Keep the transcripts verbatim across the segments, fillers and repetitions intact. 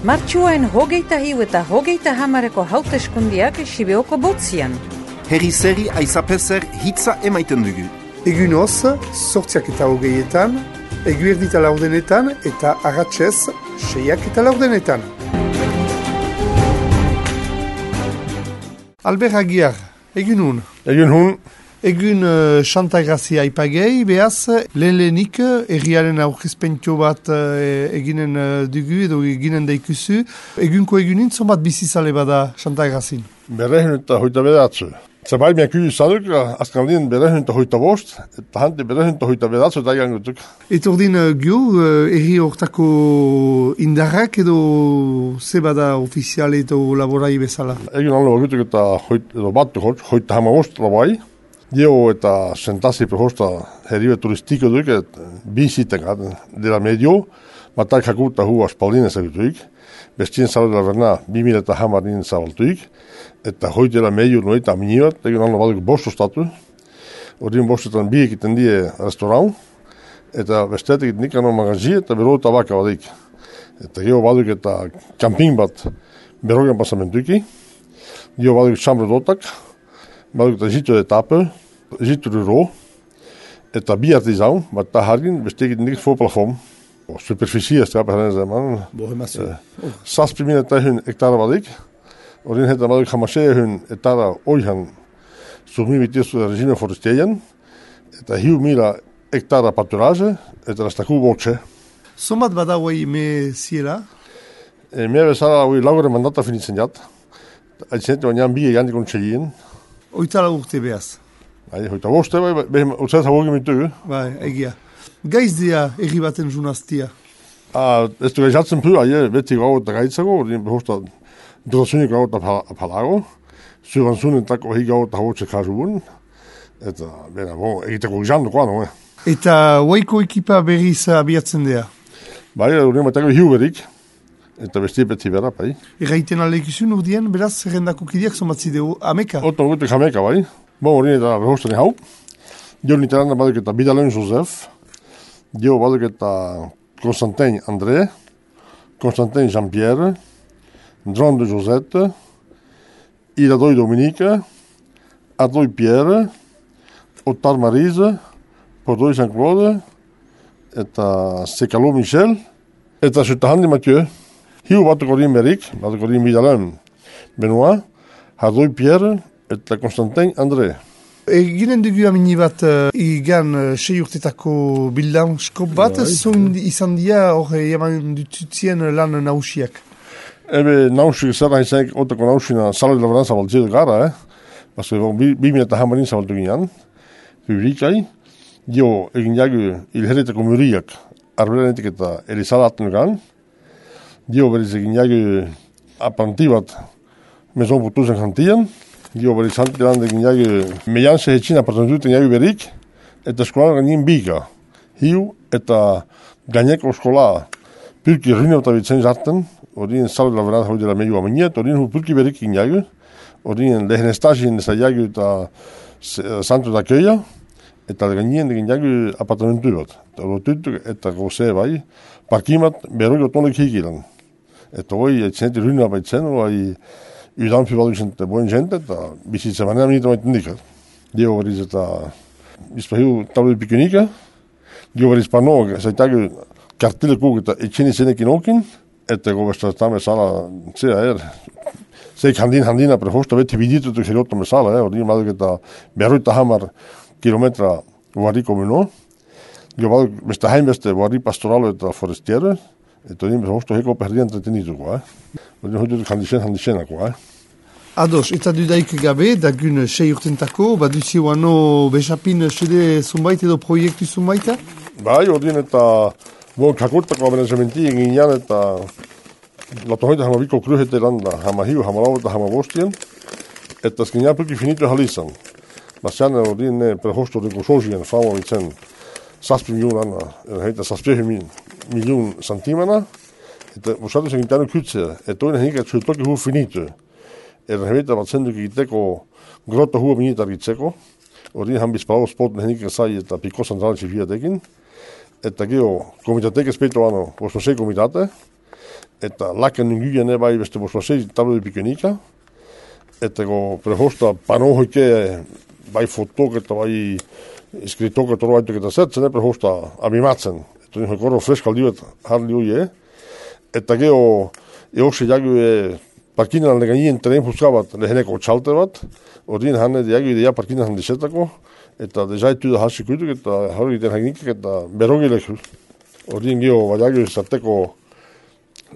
Martxuain hogeita hiu eta hogeita hamareko hauteskundiak Sibeoko botzian. Herri zeri aizapezer hitza emaiten dugu. Egun hoz, sortziak eta hogeietan, egu erdita laurdenetan eta arratsez seiak eta laurdenetan. Albert Aguiar, egun hun. Egun hun. Egun uh, Santa Grazia ipagei, behaz, lehen lehenik erriaren aurkezpentio bat uh, eginen uh, dugu edo eginen daikuzu. Egunko egunin, zonbat bizizale bada Santa Grazin? Berrehun eta hoita bedatzu. Zabait miak izanuk, azkaldien berrehun eta hoita bost, eta hante berrehun eta hoita bedatzu eta egangutuk. Eta ordin uh, gio, uh, erri hortako indarrak edo ze bada ofiziale eta laborai bezala? Egun allo bagutuk eta hoit, edo batu hot, hoita hama bost labai. Dio eta sentazi prehosta herribe turistiko duk, et bizitengat dira medio, matak hakuta hu aspaldinen zagutuik, bestien zalu dela verna bimila eta hamarin zabaltuik, eta hoi dira medio noita aminibat, egun allo baduk bostu statu, ordin bostutan bi ekiten die restaurant, eta bestetik nikano magazi eta bero tabaka badik. Eta geho baduk eta camping bat berogen pasamentuiki, geho baduk chambre dotak, baduk eta jitu etape, jitu ro, eta bi artizan, bat ta hargin, bestekit niks voor plafond. Superficie is trap heren zeman. Saspi min eta hun hektare badik. Orin heta baduk hamasea hun etara oihan sumi vitisu regime forestien, eta hiu mila hektara paturage, eta rastaku boche. Somat bada huai me ziela? E, me bezala hui laure mandata finitzen jat. Aitzente baina bi egan dikon txelien. Oitala urte behaz. Bai, hoita boste, bai, behem utzat haugin mitu. Bai, egia. Gaiz dia erri baten junaztia? Ah, ez du gaizatzen pu, aie, beti gau eta gaitzago, ordin behosta drasunik gau eta apalago, zuranzunen tako hi gau eta hautze kazubun, eta, bera, bo, egiteko gizan dukoa, no, eh. Eta huaiko ekipa berriz abiatzen dea? Bai, ordin batako hiu berik, eta besti beti bera, bai. Erraiten alekizun urdien, beraz, zerrendako kideak zomatzideu ameka? Oto gutek ameka, bai. Bo, ordin eta behostani hau. Dio niteranda baduk eta Bidalen Joseph. Dio baduk eta Constantin André. Constantin Jean-Pierre. Dron de Josette. Iradoi Dominique. Adoi Pierre. Otar Marise. Podoi Jean-Claude. Eta Sekalo Michel. Eta Sutahandi Mathieu. Hiu batuk ordin berik, batuk ordin Bidalen Benoit. Adoi Pierre. Eta Constantin André. Eginen dugu amini bat uh, igan uh, sei urtetako bildanskop bat, Bai. Zun izan dia hor eman dututzien lan nausiak? Ebe nausik zara izanek otako nausina salari labaran zabaltzea gara, eh? Basko bi, bi mineta hamarin zabaltu ginean, publikai. Dio egin jagu ilherretako muriak arbelenetik eta elizalaten gan. Dio beriz egin jagu apantibat mezon putuzen jantian. Dio beriz hantilan egin jagu meianse hetxin apartentuten jagu berik, eta eskolan gainin biga. Hiu eta gaineko eskola pyrki rinauta bitzen zarten, orien salari labaran hau dira meio aminiet, orien hu pyrki berik egin jagu, orien lehen estazien eza jagu eta santu da köia, eta gainien egin jagu apartamentu bat. Eta rotutuk eta goze bai, parkimat berroi otonek hikilan. Eta hoi etxeneti rinau baitzen, hoi udanpi baduk zente boen jente, eta bizitza manera minita maiten dikat. Dio beriz eta izpahiu tablu pikunika, dio beriz pano, zaitagu kartilekuk eta etxeni zenekin okin, eta gobestratame sala, zera er, zeik handin handina prehosta beti biditutuk herioto mesala, eh, ordin baduk eta berroita hamar kilometra warriko beno, dio baduk beste hainbeste warri pastoralo eta forestiere, eta ordin prehosta heko perdi entretenituko, eh. Ordin hoi dut handixen handixenako, eh. Ados, eta dudaik gabe, dagun sei urtentako, baduzi wano besapin sede zumbait edo proiektu zumbaita? Bai, ordin eta bon kakurtako amenazamenti egin jan eta lato hoita hama biko kruhete landa, hama hiu, hama lau eta hama bostien, eta skin jan pulki finito halizan. Basian ordin prehosto de kosozien, famo vitzen saspi miljun heita saspi miljun santimana, eta usatu sen gintano kytse, eta oina hinika tsutoki hu finito. Erra hemeita bat zenduk egiteko grota hua minita argitzeko, ordin han bizpao spoten henika zai eta piko santrali txifiatekin, eta geho komitateke speito ano, posnosei komitate, eta laken inguien bai beste bostasei tablo de pikenika, eta go prehosta pano hoike bai fotok eta bai skritok eta roaitok eta zetzen, prehosta abimatzen, eta nio korro freska aldiuet harli hoie, eta geho eoxe jagu parkinan leganien teren fuskabat leheneko txalte bat, ordin hane jagu idea parkinan handizetako, eta dezaitu da hasi kuituk eta harri den hagnikik eta berogilek. Ordin geho baiagu izateko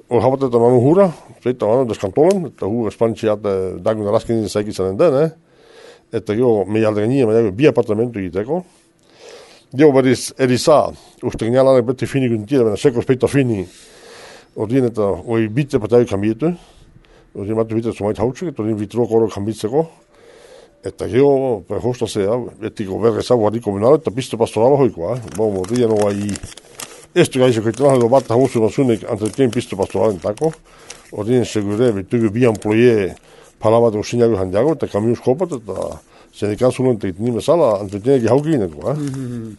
hor habat eta manu hura, zeita manu deskantolen, eta hu espantziat dagun alaskenin zaikizanen den, eh? Eta geho meialdeganin baiagu bi apartamentu egiteko. Geho beriz eriza, uste genialanek beti fini guntira, bena seko speita fini, ordin eta oi bite pataiu kambietu, ordin batu bite zumait hautsuk, eta ordin vitro koro kambitzeko, eta geho prehosta zea, etiko berreza guardiko benala, eta piste pastorala hoikoa, eh? Bo, ordin no ai estu gaixo kaitela edo bat hamusu nasunek antretien piste pastoralen tako, ordin segure bitugu bi employe palabat usinagu handiago, eta kamius kopat, eta sendikan zulen teitini bezala antretien egi haukineko, eh? Mm-hmm.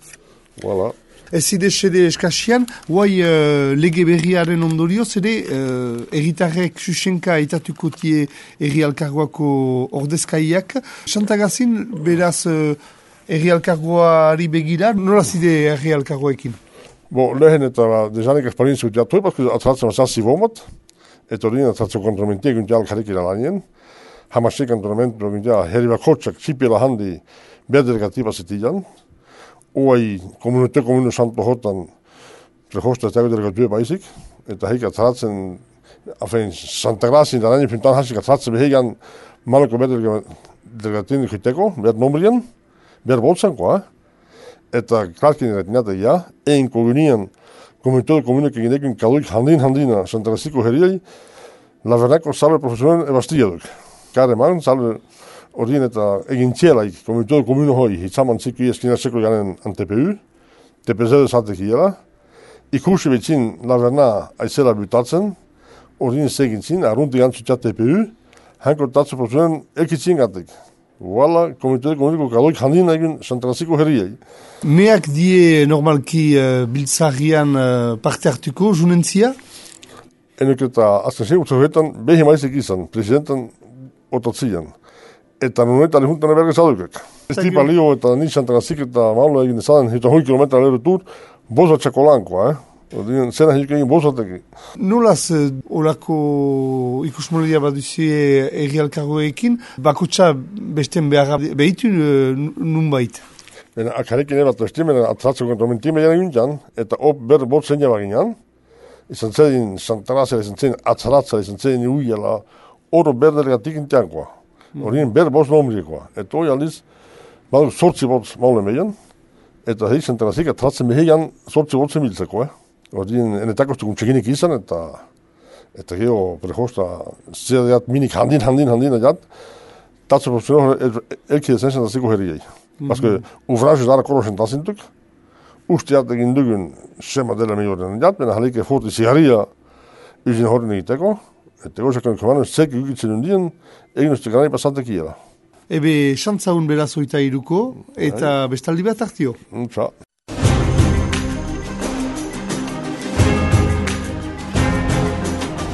Voilà. Ez zide sede eskasian, guai uh, lege berriaren ondorioz, ere uh, erritarrek susenka etatuko tie erri alkargoako ordezkaiak. Santagazin, beraz, uh, erri alkargoari begira, nola zide erri alkargoekin? Bo, lehen eta dezanek esperientzia utiatu, paske atratzen mazazzi bomat, eta hori atratzen kontromentia guntia alkarikira lanien, hamasik kontromentu guntia herri bakotxak txipiela handi berdelegatiba zetilan, Oai komunite komunu santo hotan prehosta ez dago delegatue baizik, eta heik atratzen, afen, Santa Grazin, da nani pintan hasik atratzen behegan malako berdelegatin hiteko, behar nombrian, behar boltsankoa, eta klarkin eretinata ja, ein kogunien komunite komunu keginekin kaluik handin handina Santa Graziko heriai, la vernako salve profesionen ebastilladuk. Kare man, salve ordin eta egin txelaik, komunitodu komunu hoi, hitzaman txiki eskina seko janen an T P U, T P Z zatek hiela, ikusi betzin laverna aizela butatzen, ordin segin zin, arrunti gantzutxat T P U, hanko tatzu profesionen elkitzin gatek. Wala, komunitodu komuniko kaloik handin egin Santraziko herriei. Meak die normalki uh, biltzarian uh, parte hartuko, junentzia? Enuk eta azken zen, utzohetan, behi maizek izan, presidentan otatzian. Eta nunetan lehuntan ebergez adukek. Ez tipa lio eta ni Santarazik eta maula egin ezaden, eta hoi kilometra lehre tur, boza txakolankoa, eh? Odin, zena hilke egin bozateki. Nolaz, olako ikusmoledia bat duzie erri alkargoekin, bakotxa besten behar behitu nun bait? Bena, akarekin ebat bestemen atratzeko kontromentime jaren gintan, eta op ber bot zeina baginan, izan zedin Santarazela, izan zedin atzaratzela, izan zedin uiala, oro berdelegatik intiankoa. Horien ber bost nomriekoa. Eta hori aldiz, baduk sortzi bot maule meian, eta heik Santarazik atratzen beheian sortzi bot zemiltzeko, eh? Horien enetakostukun txekinik izan, eta eta geho prehosta zedeat minik handin, handin, handin adat, tatzu profesional elki dezen Santaraziko herriei. Baske, ufraxu dara korosen tazintuk, ustiat egin dugun sema dela meiorren adat, bena halike forti zigarria izin horren egiteko, eta gozakon komanen zeki ukitzen undien, egin uste gara ipasatek iela. Ebe, xantzaun beraz oita iruko, eta bestaldi bat hartio. Untza.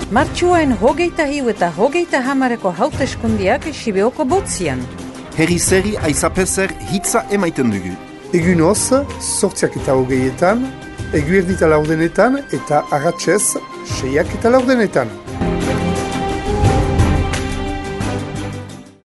Martxuaen hogeita hiu eta hogeita hamareko hauteskundiak Sibeoko botzian. Herri zeri aizapezer hitza emaiten dugu. Egunoz, sortziak eta hogeietan, eguerdita laurdenetan eta agatzez, seiak eta laurdenetan.